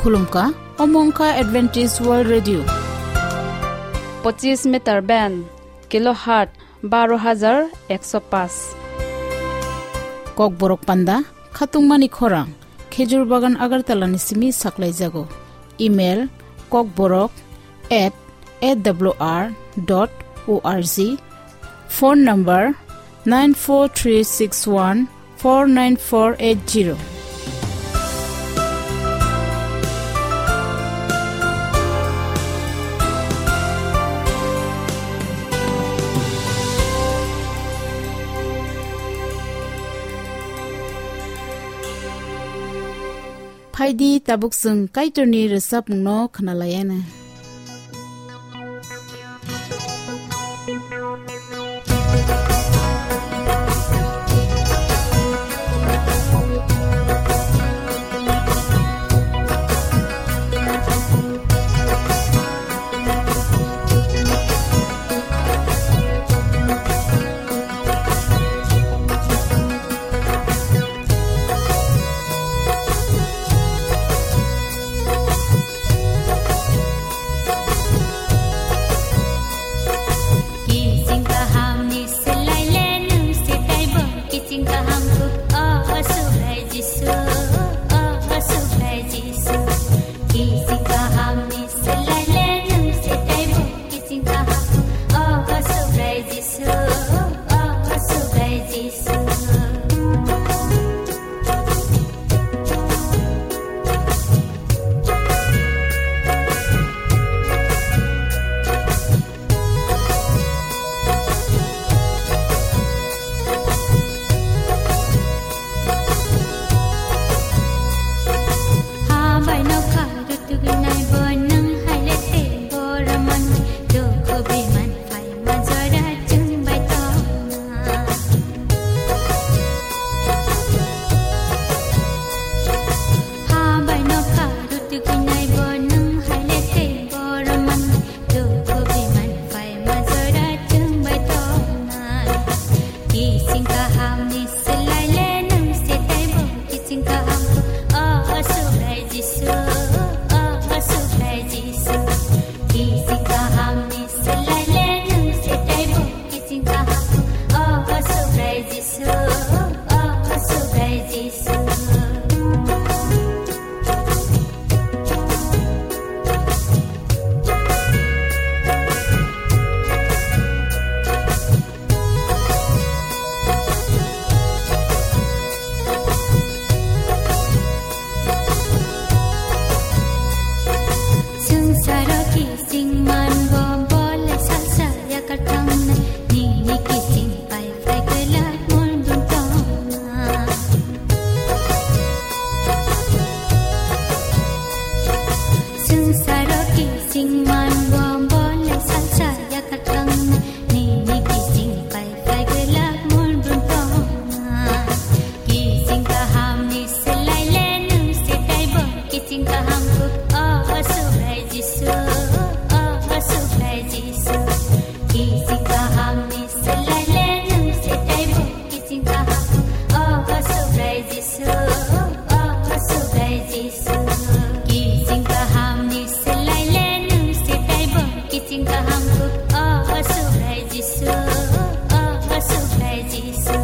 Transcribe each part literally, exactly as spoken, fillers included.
Khulumkha, omo wngkha Adventist World Radio. Pochis meter band, kilohertz baro hajar ekso paanch. Kokborok panda, khatungmani khorang, Khejur Bagan Agartala ni simi saklaijago. Email, kokborok at A W R dot O R G. Phone number, nine four three six one four nine four eight zero. Phaidi, tabuk chwng Kaitorni rwchapmungno khwnalaiana. Kiching kaham ni selai le nung se taibo. Kiching kaham ku, oh, oh, Subrai Jisu, oh, oh, Subrai Jisu. Kiching kaham ni selai le nung se taibo. Kiching kaham ku, oh, oh, Subrai Jisu, oh, oh, Subrai Jisu. Habai nokha rutugwi nai bo nwng hai le tei boroman dukhu biman. Phaima jora chwng bai tongna. Habai nokha rutugwi nai bo nwng hai le tei boroman dukhu biman. Phaima jora chwng bai tongna. Kiching kaham ni selai le nung se taibo. Kiching kaham ku, oh, oh, Subrai Jisu, oh, oh, Subrai Jisu. Kiching kaham ni selai le nung se taibo. Kiching kaham ku, oh, oh, Subrai Jisu, oh, oh, Subrai Jisu. Swngcharo kiching man bo, bo le salsa yakar thangna, nini kiching pai pai kwlak mul bun tongna. Swngcharo kiching man bo, bo le salsa yakar thangna, nini kiching pai pai kwlak mul bun tongna. Kiching kaham ni selai le nung se taibo. Kiching kaham ku, oh, oh, Subrai Jisu, oh, oh, Subrai Jisu. Kiching kaham ni selai le nung se taibo. Kiching kaham ku, oh, oh, Subrai Jisu, oh, oh, Subrai Jisu. Kiching kaham ni selai le nung se taibo. Kiching kaham ku, oh, oh, Subrai Jisu, oh, oh, Subrai Jisu.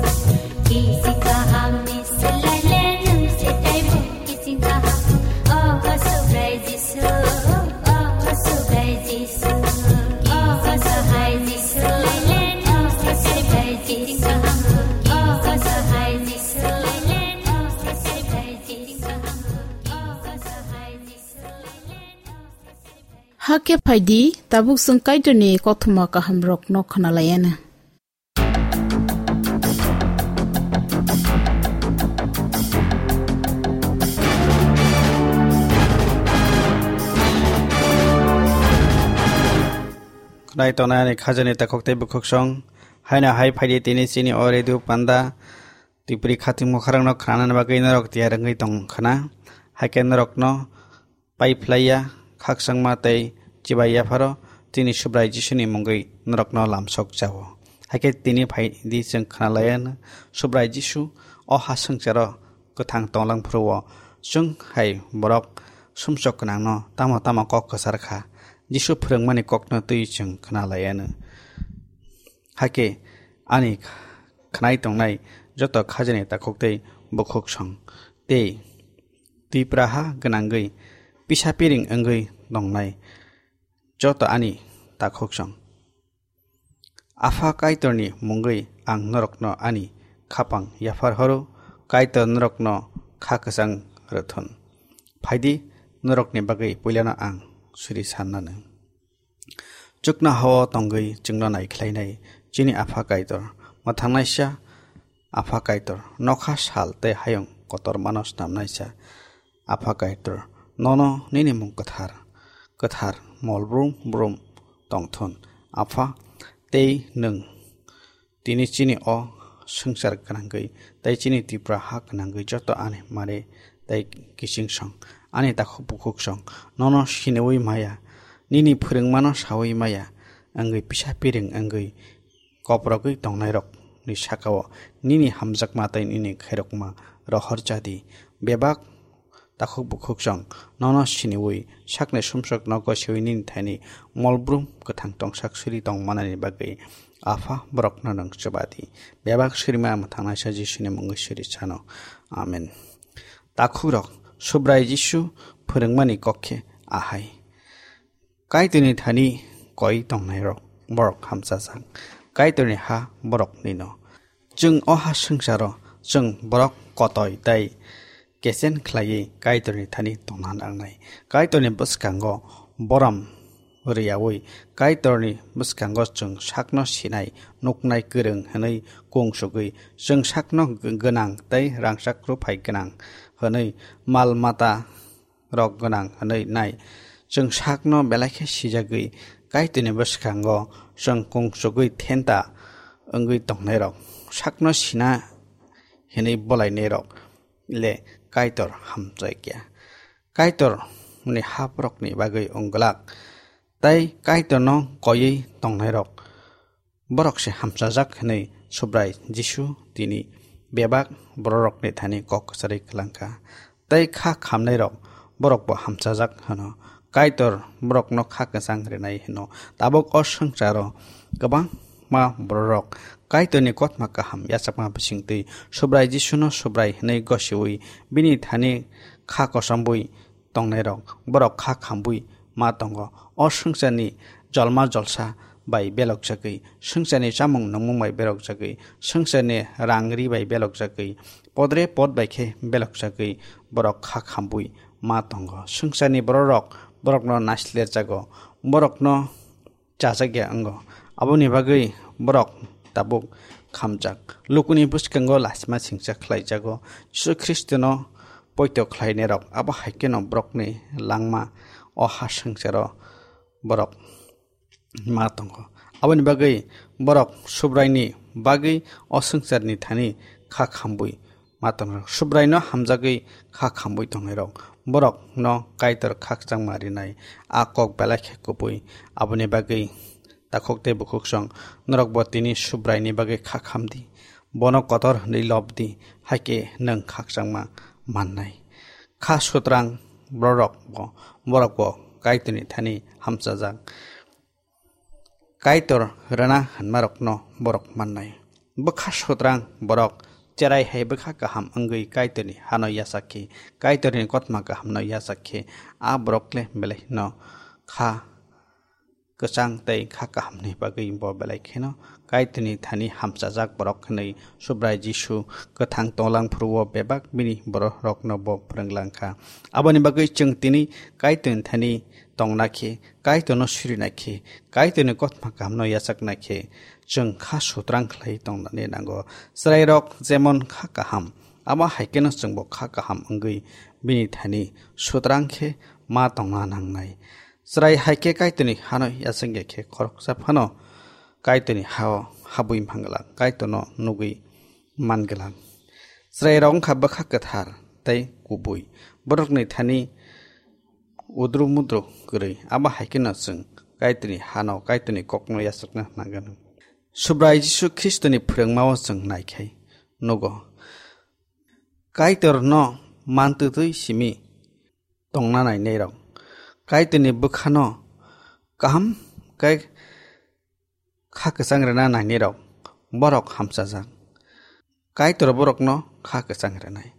Kiching kaham ni selai le nung se taibo. Kiching kaham ku, oh, oh, Subrai Jisu, oh, oh, Subrai Jisu. Kiching kaham ni selai le nung se taibo. Kiching kaham ku, oh, oh, Subrai Jisu, selai le nung se taibo. Kiching kaham ku, oh, oh, Subrai Jisu. Hakhe phaidi, tabuk chwng Kaitorni kothoma kahamrokno khwnalaiana. Khwnai tongnai ani khajani takhuk tei bukhuksong, haino hai phaidi tini chini o radio panda, Tipri khatungma khorangno khnanani bagwi norok tiyar wngwi tong khna, hakhe norokno pai phlaiya, khakchangma tei chibai yapharo chini Subrai Jisuni mungwi norokno lamsok chao. Hakhe tini phaidi chwng khnalaiya, Subrai Jisu o ha swngcharo kwthang tonglang phuru-o chwng hai borok sumsok gwnangno tamo tamo kok kwchar kha, Jisu phwrwngmani kokno twi chwng khna lai anw. Hakhe ani khnai tongnai joto khajani takhuk tei bukhuk song tei Tipraha gwnangwi pisa piring wngwi tongnai joto ani takhuk song. Apha Kaitorni mungwi ang norokno ani khapang yaphar horo, Kaitor norokno kha kwchang rwthun. Phaidi, norokni bagwi puilano ang suri sannanw. Chuknohao tongwi chwngno naikhlainai chini Apha Kaitor, mwthangnaisa Apha Kaitor, nokha sal tei hayung kotormano snamnaisa Apha Kaitor, nono nini mung kwthar, kwthar mol brum brum tongthun. Apha, tei nwng tini chini o swngchar gwnangwi tei chini Tripura ha gwnangwi joto ani mare tei kiching song, ani takhuk bukhuk song, nono siniwi maya, nini phwrwngmano sawi maya, wngwi pisa piring wngwi koprogwi tongnairokni sakao nini hamjakma tei nini khairokma rohor chadi. Bebak takhuk bukhuk song nono siniwi sakni sumsokno gosiwi nini thani molbrum kwthang tongsak suri tongmanani bagwi Apha borokno nwng chubadi. Bebak surima mwthangnaisa Jisuni mungwi suri sano. Amen. Takhukrok, Subrai Jisu phwrwngmani kok khe ahai. Kaitorni thani koi tongnairok borok hamchajak. Kaitorni ha boroknino. Chwng o ha swngcharo chwng borok kotoi tei kechen khlaiwi Kaitorni thani tongna nangnai. Kaitorni bwskango borom rwyaui Kaitorni bwskango chwng sakno sinai, nuknai, kwrwng hwnwi kung sugwi, chwng sakno gwnang tei rangchak rwphai gwnang hwnwi, mal mata rok gwnang hwnwi nai. Chwng sakno belai khe sijagwi Kaitorni bwskango chwng kung sugwi thenta wngwi tongnairok, sakno sina hwnwi bolainairok le Kaitor hamchai kya. Kaitorni haprokni bagwi wng glak, tei Kaitorno koiwi tongnairok borok se hamchajak hwnwi Subrai Jisu tini bebak bororokni thani kok kwcharwi kwlangkha. Tei kha khamnairok borokbo hamchajak hwno. Kaitor borokno kha kwchang rwnai hwno. Tabuk o swngcharo kwbangma bororok Kaitorni kotma kaham yachakma bisingtwi Subrai Jisuno Subrai hwnwi gosiwi bini thani kha kochomwi tongnairok borok kha khambwi ma tongo. O swngcharni jolma jolsa bai belokjagwi, swngcharni chamung nungmung bai belokjagwi, swngcharni rang ri bai belokjagwi, podre pod bai khe belokjagwi borok kha khambwi ma tongo. Swngcharni bororok borokno naislerjago, borokno chajak ya wngo. Aboni bagwi borok tabuk khamjak. Lukuni bwskango lasima singcha khlaijago. Jisu Khristono poito khlainairok, abo hai kheno borokni langma o ha swngcharo borok ma tongo. Aboni bagwi borok Subraini bagwi o swngcharni thani kha khambwi ma tongo. Subraino hamjagwi kha khambwi tongnairok, borokno Kaitor khakchangma rinai, a kok belai khe kubui. Aboni bagwi takhuk tei bukhuk song, norokbo tini Subraini bagwi kha khamdi, bono kotor hwnwi lobdi, hakhe nwng khakchangma mannai. Kha sutrang borokbo, borokbo Kaitorni thani hamchajak. Kaitor rwna hwnmarokno borok mannai. Bwkha sutrang borok cherai hai bwkha kaham wngwi Kaitorni hano yachak khe, Kaitorni kotma kahamno yachak khe, a borok le belaino kha kwchang tei kha kahamni bagwi bo belai kheno Kaitorni thani hamchajak borok hwnwi Subrai Jisu kwthang tonglang phuru-o bebak bini bororokno bo phrwnglang kha. Aboni bagwi chwng tini Kaitorni thani tongna khe, Kaitorno sirina khe, Kaitorni kotma kahamno yachakna khe, chwng kha sutrang khlai tongnani nango. Chwrairok jemon kha kaham, abo hai kheno chwngbo kha kaham wngwi bini thani sutrang khe ma tongna nangnai. Chwrai hai khe Kaitorni hano yachak ya khe khoroksa phano Kaitorni hao habwi mangwlak, Kaitorno nugwi mangwlak. Chwrairok wngkha bwkha kwthar tei kubui. Borokni thani udru mudru kwrwi. Abo hai kheno chwng Kaitorni hano, Kaitorni kokno yachakna nangano. Subrai Jisu Khristoni phrwngmao chwng naikhai nugo. Kaitorno mantwtwi simi tongna nainairok, Kaitorni bwkhano kaham khe kha kwchang rwna nainairok, borok hamchajak. Kaitor borokno kha kwchang rwnai.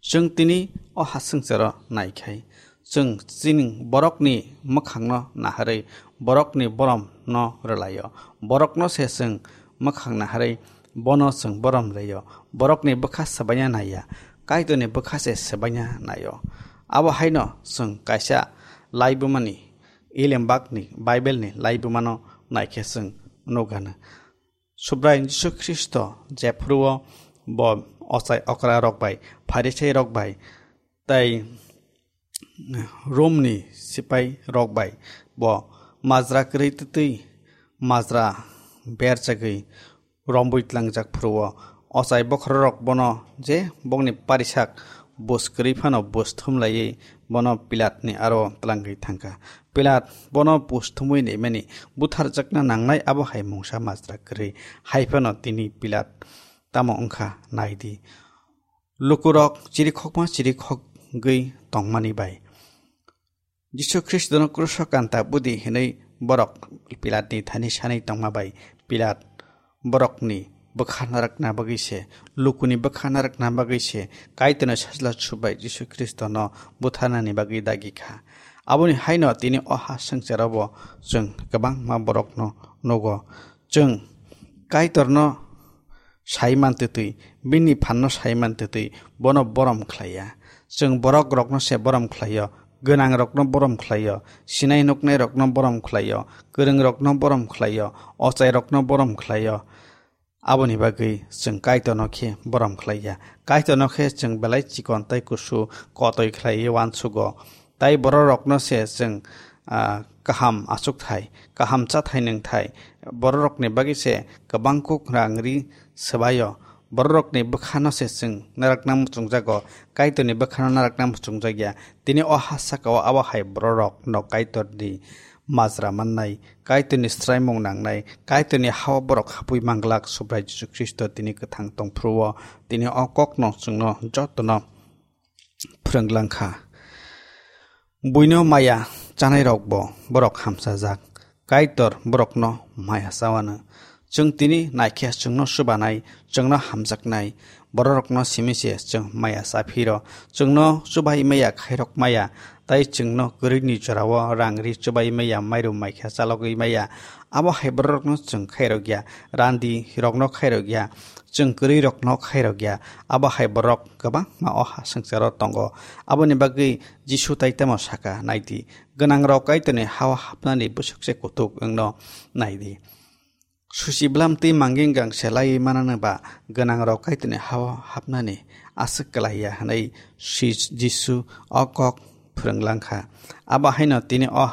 Chwng tini o ha swngcharo naikhai, chwng chini borokni mwkhangno naharwi borokni boromno rwlaio. Borokno se chwng mwkhang naharwi bono chwng borom rwio. Borokni bwkha swbaina naiya, Kaitorni bwkha se swbaina naio. Abo haino chwng kaisa laibumani, Elembakni Bible-ni laibumano naikhe chwng nukgano. Subrai Jisu Khristo jephuruo bo ochai okra rok bai, Pharisai rok bai, tei Romni sipai rok bai bo majra kwrwi twtwi majra berjagwi rombwi tlangjak phuruo. Ochai bokhorok bono je bokni parisak bus kwrwi phano bus thumlaiwi bono Pilatni aro tlangwi thangkha. Pilat bono bus thumwi naimani butharjakna nangnai, abo hai mungsa majra kwrwi. Hai phano tini Pilat tamo wngkha naidi. Lukurok chirikhokma chirikhogwi tongmani bai Jisu Khristono kruso kanta budi hinwi borok Pilatni thani sanwi tongma bai Pilat borokni bwkha narwkna bagwi se, lukuni bwkha narwkna bagwi se Kaitorni sajla subai Jisu Khristono butharnani bagwi dagi kha. Aboni haino tini o ha swngcharo bo chwng kwbangma borokno nugo. Chwng Kaitorno sai man twtwi, bini phanno sai man twtwi bono borom khlaiya. Chwng borok rokno se borom khlaio, gwnang rokno borom khlaio, sinai nuknai rokno borom khlaio, kwrwng rokno borom khlaio, ochai rokno borom khlaio. Aboni bagwi chwng Kaitorno khe borom khlaiya. Kaitorno khe chwng belai chikon tei kusu kotoi khlaiwi uansugo. Tai bororokno se chwng, ah, kaham achukthai, kaham chathai nwngthai, bororokni bagwi se kwbang kuk rang ri swbaio. Bororokni bwkhano se chwng narakna muchungjago, Kaitorni bwkhano narakna muchungjak ya. Tini o ha saka-o abo hai bororokno Kaitorni majra mannai, Kaitorni swraimung nangnai, Kaitorni ha-o borok habwi manglak Subrai Jisu Khristo tini kwthang tongphuru-o, tini o kokno chwngno jotono phrwnglang kha. Buino maya chanairokbo borok hamchajak. Kaitor borokno maya chawano. Chwng tini naikhe chwngno chubanai, chwngno hamjaknai bororokno simi se chwng maya chaphiro. Chwngno chubai maya, khairok maya, tai chwngno kwrwini jorao rang ri chubai maya, mairum maikhe chalogwi maya. Abo hai bororokno chwng khairok ya, randi rokno khairok ya, chwng kwrwi rokno khairok ya. Abo hai borok kwbangma o ha swngcharo tongo. Aboni bagwi Jisu tai tamo saka, naidi, gwnangrok Kaitorni ha-o hapnani bwswk se kuthuk wngno naidi. Susi bwlam twi mangeng gang se laiwi manano ba gwnangrok Kaitorni ha-o hapnani aswk kwlai ya hwnwi si-, Jisu o kok phrwnglang kha. Abo haino tini o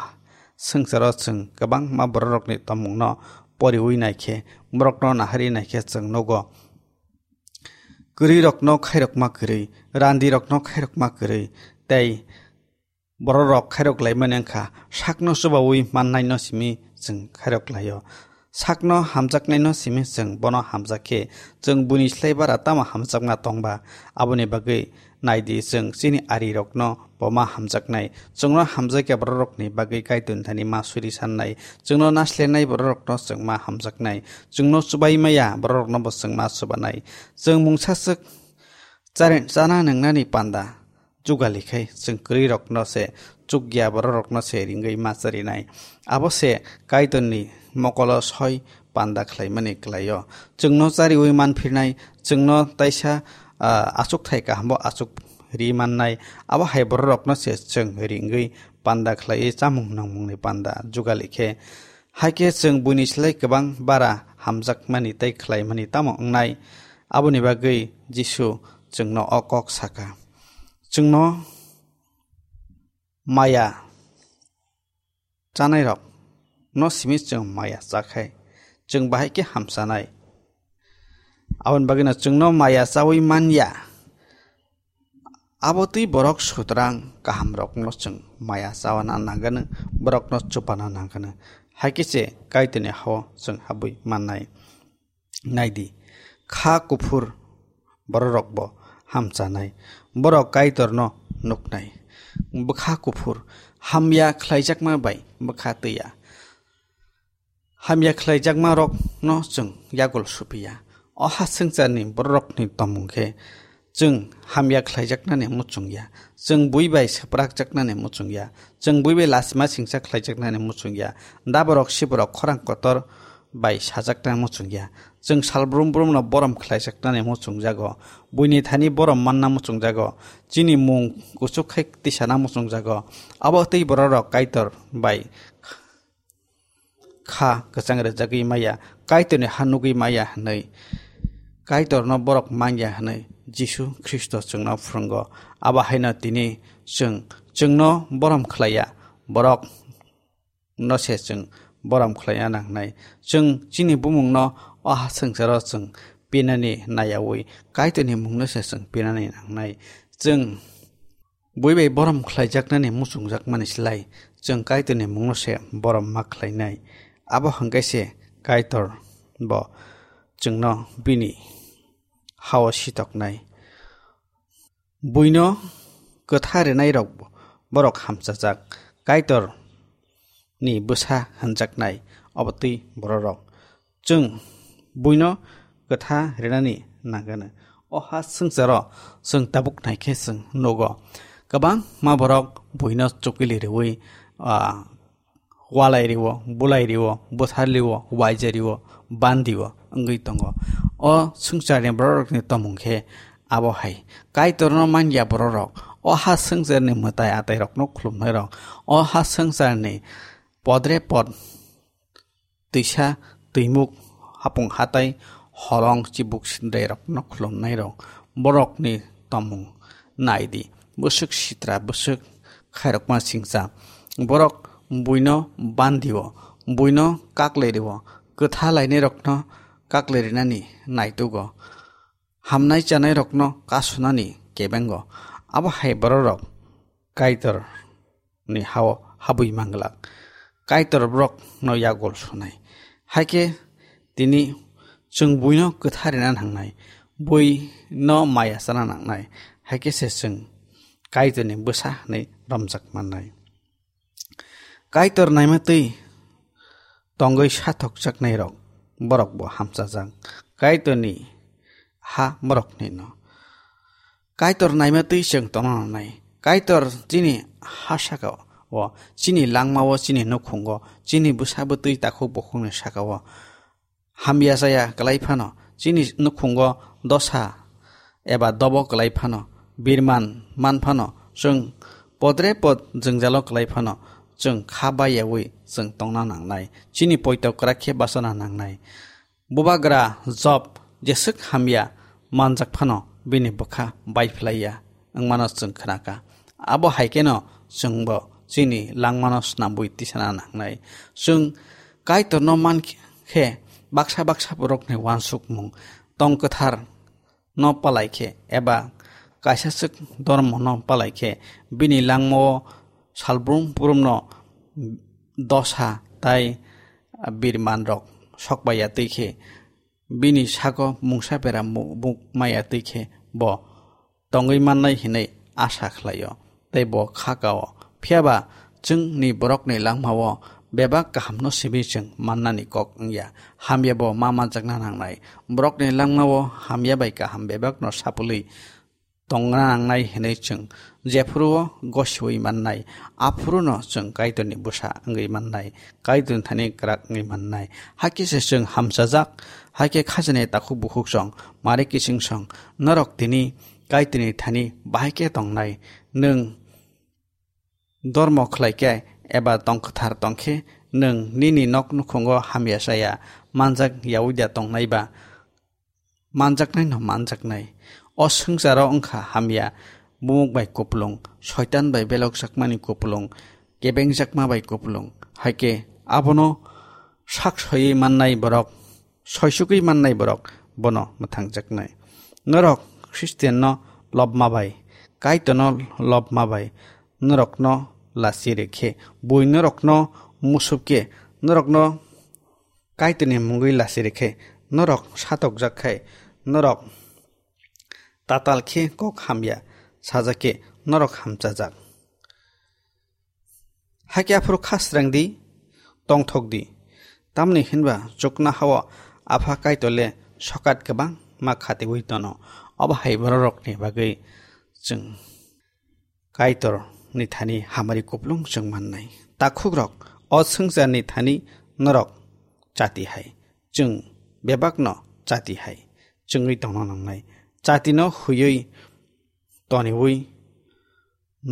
swngcharo chwng kwbangma bororokni tongmungno poriwi naikhe, borokno naharwi naikhe chwng nugo. Kwrwirokno khairokma kwrwi, randirokno khairokma kwrwi, tei bororok khairok laimani wngkha, sakno chubaui mannaino simi chwng khairok laio. Sakno hamjaknaino simi chwng bono hamjak khe, chwng buini slai bara tamo hamjakma tongba? Aboni bagwi naidi, chwng chini arirokno bo ma hamjaknai. Chwngno hamjakya bororokni bagwi Kaitorni thani ma suri sannai. Chwngno naslernai bororokno chwng ma hamjaknai. Chwngno chubai maya bororokno bo chwng ma chubanai. Chwng mungsaswk chari-, chana nwngnani panda jugali khai chwng kwrwirokno se chukya bororokno se ringwi ma charinai. Abo se Kaitorni mokolo soi panda khlaimani kwlaio. Chwngno chariui manphirnai, chwngno taisa, ah, achukthai kahambo achuk ri mannai. Abo hai bororokno se chwng ringwi panda khlaiwi chamung nangmungni panda jugali khe. Hai khe chwng buini slai kwbang bara hamjakmani tei khlaimani tamo wngnai? Aboni bagwi Jisu chwngno o kok saka. Chwngno maya chanairok no simi chwng maya chakhai, chwng bahai khe hamchanai. Aboni bagwino chwngno maya chaui manya. Abo twi borok sutrang kahamrokno chwng maya chawana nangano, borokno chupana nangano. Hai khe se Kaitorni ha-o chwng habwi mannai. Naidi, kha kuphur bororokbo hamchanai, borok Kaitorno nuknai. bwkha kuphur, hamya khlaijakma bai bwkha twiya. Hamya khlaijakma rokno chwng yagul suphiya. O ha swngcharni bororokni tongmung khe chwng hamya khlaijaknani muchungya. Chwng bui bai swprakjaknani muchungya. Chwng bui bai lasima singsa khlaijaknani muchungya. Daborok siborok khorang kotor bai sajaknani muchungya. Chwng sal brum brumno borom khlaijaknani muchungjago. Buini thani borom manna muchungjago. Chini mung kuchuk khai tisana muchungjago. Abo twi bororok Kaitor bai kha kwchang rwjagwi maya, Kaitorni ha nugwi maya hwnwi Kaitorno borok manya hwnwi Jisu Khristo chwngno phwrwngo. Abo haino tini chwng, chwngno borom khlaiya, borok no se chwng borom khlaina nangnai. Chwng chini bumungno o ha swngcharo chwng pinani nayaui Kaitorni mungno se chwng pinani nangnai. Chwng bui bai borom khlaijaknani muchungjakmani slai chwng Kaitorni mungno se borom ma khlainai. Abo hwnkhe se Kaitor bo chwngno bini hao sitoknai. Buino kwtha rinairok borok hamchajak, Kaitor ni bwsa hwnjaknai, obo twi bororok. Chwng buino kwtha rinani nangano. O ha swngcharo chwng tabuk naikhe chwng nugo. Kwbangma borok buino chukili riui, ah, walai rio, bulai rio, bwthar rio, waija rio, bandi o wngwi tongo. O swngcharni bororokni tongmung khe abo hai. Kaitorno manya bororok, o ha swngcharni mwtai atairokno khulumnairok, o ha swngcharni podre pod twisa twimuk hapung hatai holong chibuk sindrerokno khulumnairok, borokni tongmung nai di. Bwswk sitra, bwswk khairokma singcha. Borok buino bandio, buino kaklerio, kwtha lainairokno kaklerinani naitugo. Hamnai chanairokno kasunani kebengo. Abo hai bororok Kaitor ni hao habwi manglak. Kaitor borok no yagul sunai. Haikhe tini chwng buino kwtharina nangnai, bui no maya chana nangnai. Haikhe se chwng Kaitor ni bwsa hwnwi romjak mannai. Kaitor naima twi tongwi sathokjaknai rok borok bo hamchajak. Kaitor ni ha borok ni no. Kaitor naima twi chwng tongna nangnai. Kaitor chini ha saka o, chini langma o, chini nukhungo, chini bwsa bwtwi takhuk bukhukni saka o hamya chaya kwlai phano, chini nukhungo dosa eba dobo kwlai phano, birman man phano, chwng podre pod jwngjalo kwlai phano, chwng kha bayaui chwng tongna nangnai. Chini poito kwrak khe bachana nangnai. Bubagra Job jeswk hamya manjak phano bini bwkha bai phlaiya wngmano chwng khnaka. Abo hai kheno chwngbo chini langmano snambui tisana nangnai. Chwng Kaitorno man khe baksa baksa borokni uansukmung tong kwthar no palai khe eba kaisa swk dormo no palai khe bini langmao salbrum brumno dosa tai birman rok sokbaiya twi khe bini sago mungsa bera mu-, muk maya twi khe bo tongwi mannai hinwi asa khlaio tei bo kha kao. Phiya ba chwngni borokni langmao bebak kahamno simi chwng mannani kok wngya. Hamya bo ma manjakna nangnai. Borokni langmao hamya bai kaham bebakno sapulwi tongna nangnai hinwi chwng jephuru-o gosiui mannai, aphuruno chwng Kaitorni bwsa wngwi mannai, Kaitorni thani kwrak wngwi mannai. Hakhe se chwng hamchajak, hakhe khajani takhuk bukhuk song, mari kiching song, norok tini Kaitorni thani bahai khe tongnai. Nwng dormo khlai khe eba tong kwthar tong khe, nwng nini nok nukhungo hamya chaya manjak yaui da tongnai ba? Manjaknai no manjaknai. O swngcharo wngkha hamya, bumuk bai kupulung, soitan bai belokjakmani kupulung, kebengjakma bai kupulung. Haikhe abono sak soiwi mannai borok, soisugwi mannai borok bono mwthangjaknai. Norok Khristianno lobma bai, Kaitorno lobma bai, norokno lachi rwkhe, bui norokno musubkhe, norokno Kaitorni mungwi lachi rwkhe, norok satokjak khai, norok tatal khe kok hamya sajak khe, norok hamchajak. Hakhe aphuru kha srang di, tongthok di. Tamni hinba chuknohao Apha Kaitor le sokat kwbangma khatiwi tono. Obo hai bororokni bagwi chwng Kaitorni thani hamari kuplung chwng mannai. Takhukrok, o swngcharni thani norok chati hai, chwng bebakno chati hai chwngwi tongna nangnai. Chatino huiwi toniwi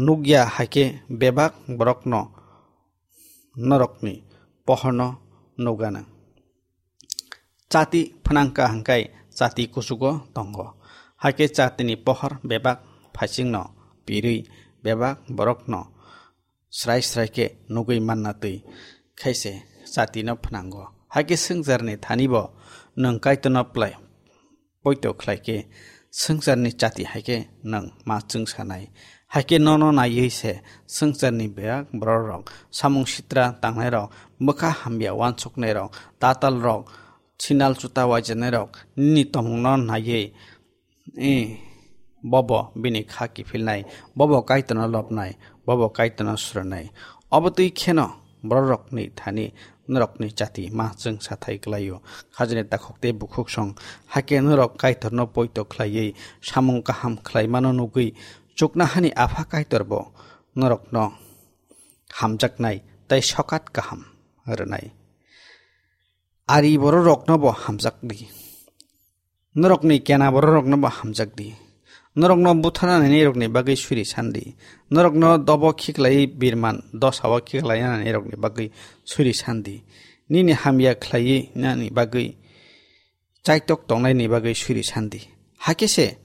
nukya hai khe bebak borokno norokni pohorno nukgana. Chati phnangkha hwnkhe chati kuchugo tongo. Hakhe chatini pohor bebak phaisingno pirwi bebak borokno srai srai khe nugwi manna twi khaise chatino phnango. Hakhe swngcharni thanibo nwng Kaitorno plai poito khlai khe swngcharni chati hai khe nwng ma chwngsanai. Hai khe nono naiwi se swngcharni bebak bororok, samung sitra tangnairok, bwkha hamya uansuknairok, tatalrok, sinal chuta uaijanairok nini tongmungno naiwi, eh, bobo bini kha kiphilnai, bobo Kaitorno lobnai, bobo Kaitorno srwnai. Obo twi kheno bororokni thani norokni chati ma chwng sathai kwlaio. Khajani takhuk tei bukhuk song, hakhe norok Kaitorno poito khlaiwi samung kaham khlaimano nugwi chuknohani Apha Kaitorbo norokno hamjaknai tei sokat kaham rwnai. Ari bororoknobo hamjak di. Norokni kena bororoknobo hamjak di. Norokno butharnanirokni bagwi suri san di. Norokno dobo khiklaiwi birman dosao khiklainanirokni bagwi suri san di. Nini hamya khlaiwi nani bagwi chaitok tongnaini bagwi suri san di. Hakhe se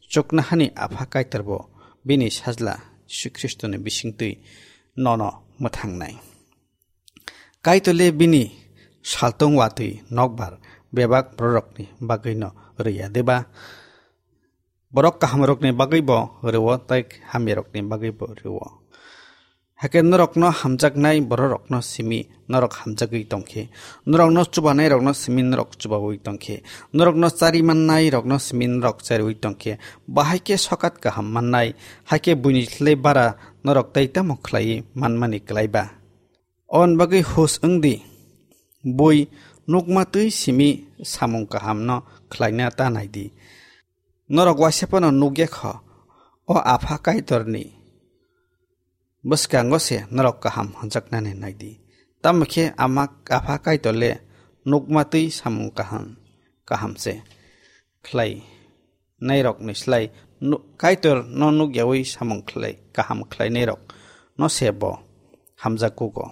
chuknohani Apha Kaitorbo bini Sajla Jisu Khristoni bisingtwi nono mwthangnai. Kaitor le bini saltung watwi nokbar bebak bororokni bagwino rwya diba? Borok kahamrokni bagwibo rwo tei hamyarokni bagwibo rwo. Hakhe norokno hamjaknai bororokno simi norok hamjagwi tongkhe, norokno chubanairokno simi norok chubaui tongkhe, norokno chari mannairokno simi norok chariui tongkhe, bahai khe sokat kaham mannai, hakhe buini slai bara norok tei tamo khlaiwi manmani klai ba? Oboni bagwi hus wng di, bui nukma twi simi samung kahamno khlaina ta nai di. Norok waisa phano nukya kho, o Apha Kaitorni bwskango se norok kaham hwnjaknani nai di. Tamo khe ama, Apha Kaitor le nukma twi samung kaham, kaham se khlai nairokni slai nu-, Kaitor no nukyaui samung khlai, kaham khlainairok no se bo hamjak kugo.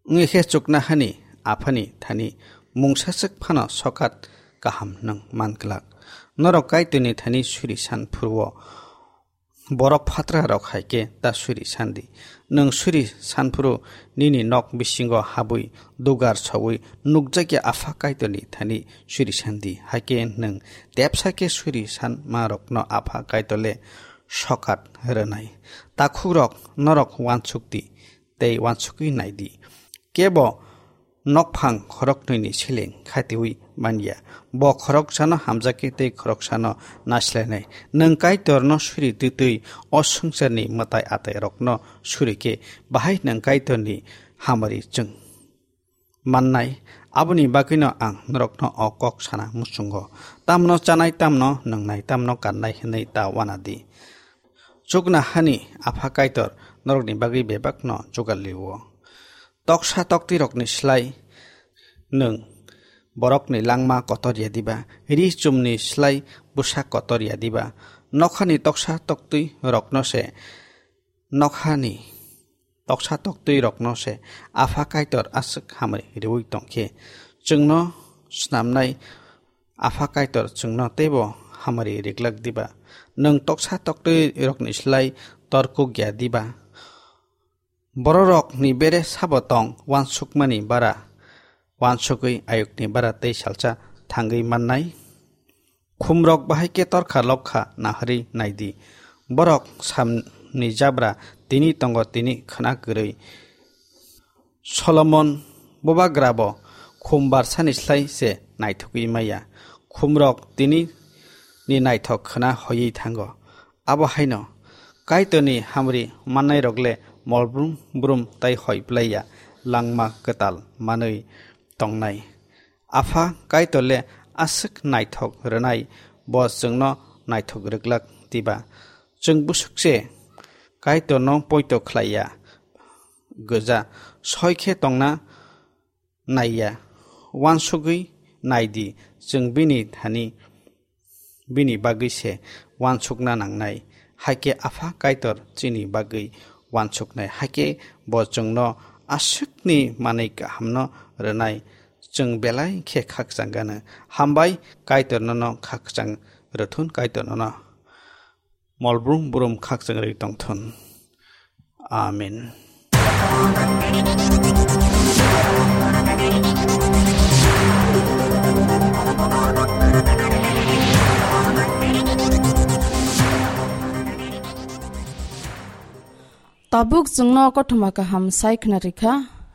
Wngwi khe chuknohani Aphani thani mungsaswk phano sokat kaham nwng man glak. Norok Kaitorni thani suri san phuru-o borok phatrarok hai khe ta suri san di. Nwng suri san phuru nini nok bisingo habwi dugar saui nukjakya Apha Kaitorni thani suri san di. Hai khe nwng tepsa khe suri sanmarokno Apha Kaitor le sokat rwnai. Takhukrok, norok uansuk di tei uansukwi nai di. Kebo nokphang khoroknwini seleng khatiui manya. Bo khoroksano hamjakya tei khoroksano naislainai. Nwng Kaitorno suri twtwi o swngcharni mwtai atairokno suri khe, bahai nwng Kaitorni hamari chwng mannai? Aboni bagwino ang norokno o kok sana muchungo. Tamno chanai, tamno nwngnai, tamno kannai hwnwi ta uana di. Chuknohani Apha Kaitor norokni bagwi bebakno jugal rio. Toksa toktwirokni slai nwng borokni langma kotor ya diba? Ri chumni slai bwsa kotor ya diba? Nokhani toksa toktwirokno se, nokhani toksa toktwirokno se Apha Kaitor aswk hamari riui tongkhe, chwngno snamnai Apha Kaitor chwngno teibo hamari riglak diba? Nwng toksa toktwirokni slai torkuk ya diba? Bororokni bere sabo tong uansukmani bara, uansukwi ayukni bara tei salsa thangwi mannai? Khumrok bahai khe torkha lokha naharwi nai di. Borok samni jabra tini tongo, tini khwna kwrwi. Solomon bubagrabo khum barsani slai se naithogwi maya. Khumrok tini ni naithok khwna hoiwi thango. Abo haino Kaitorni hamri mannairok le Molbrum brum tai hoi plaiya langma kwtal manwi tongnai. Apha Kaitor le aswk naithok rwnai, bo chwngno naithok rwglak diba? Chwng bwswk se Kaitorno poito khlaiya, gwja soi khe tongna naiya. Wansugwi naidi, chwng bini thani bini bagwi se wansukna nangnai, hai khe Apha Kaitor chini bagwi wansuknai, hai khe bo chwngno aswkni manwi kahamno rwnai. Chwng belai khe khakchang gano. Hambai, Kaitor nono khakchang rwthun, Kaitor nono molbrum brum khakchang rwi tongthun. Amen. Tabuk chwngno kothoma kaham sai khna rikha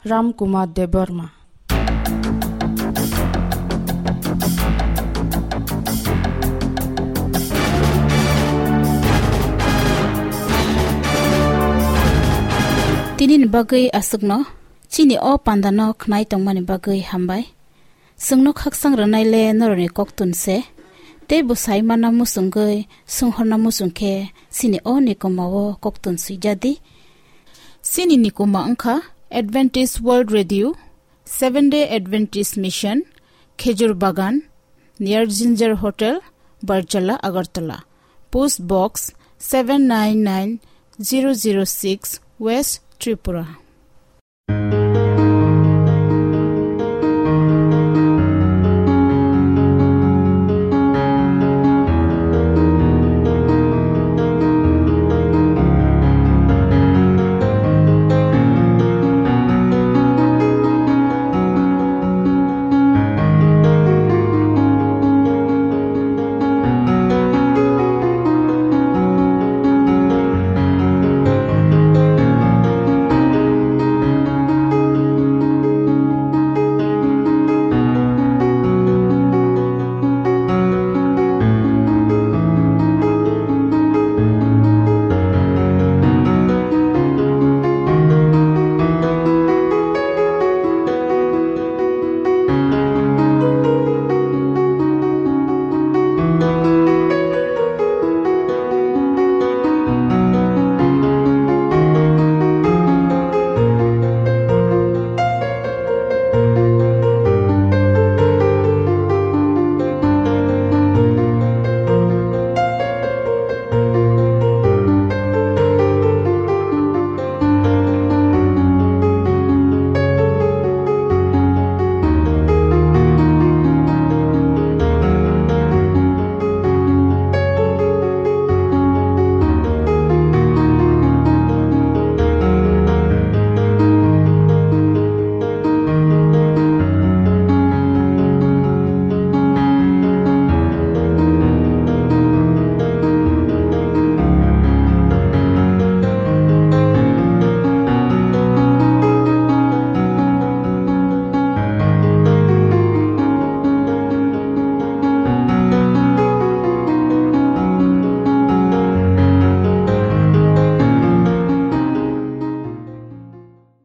Ram Kumar Debbarma. Tini ni bagwi aswkno, chini o panda no khnai tongmani bagwi hambai. Chwngno khakchang rwnai le norokni koktun se, tei bwsai mana muchungwi swnghorna muchung khe chini o nikoma o koktun swijadi. Chini nikoma wngkha Adventist World Radio, Seventh Day Adventist Mission, Khejur Bagan, near Ginger Hotel, Barjala, Agartala. Post Box seven nine nine zero zero six, West Tripura.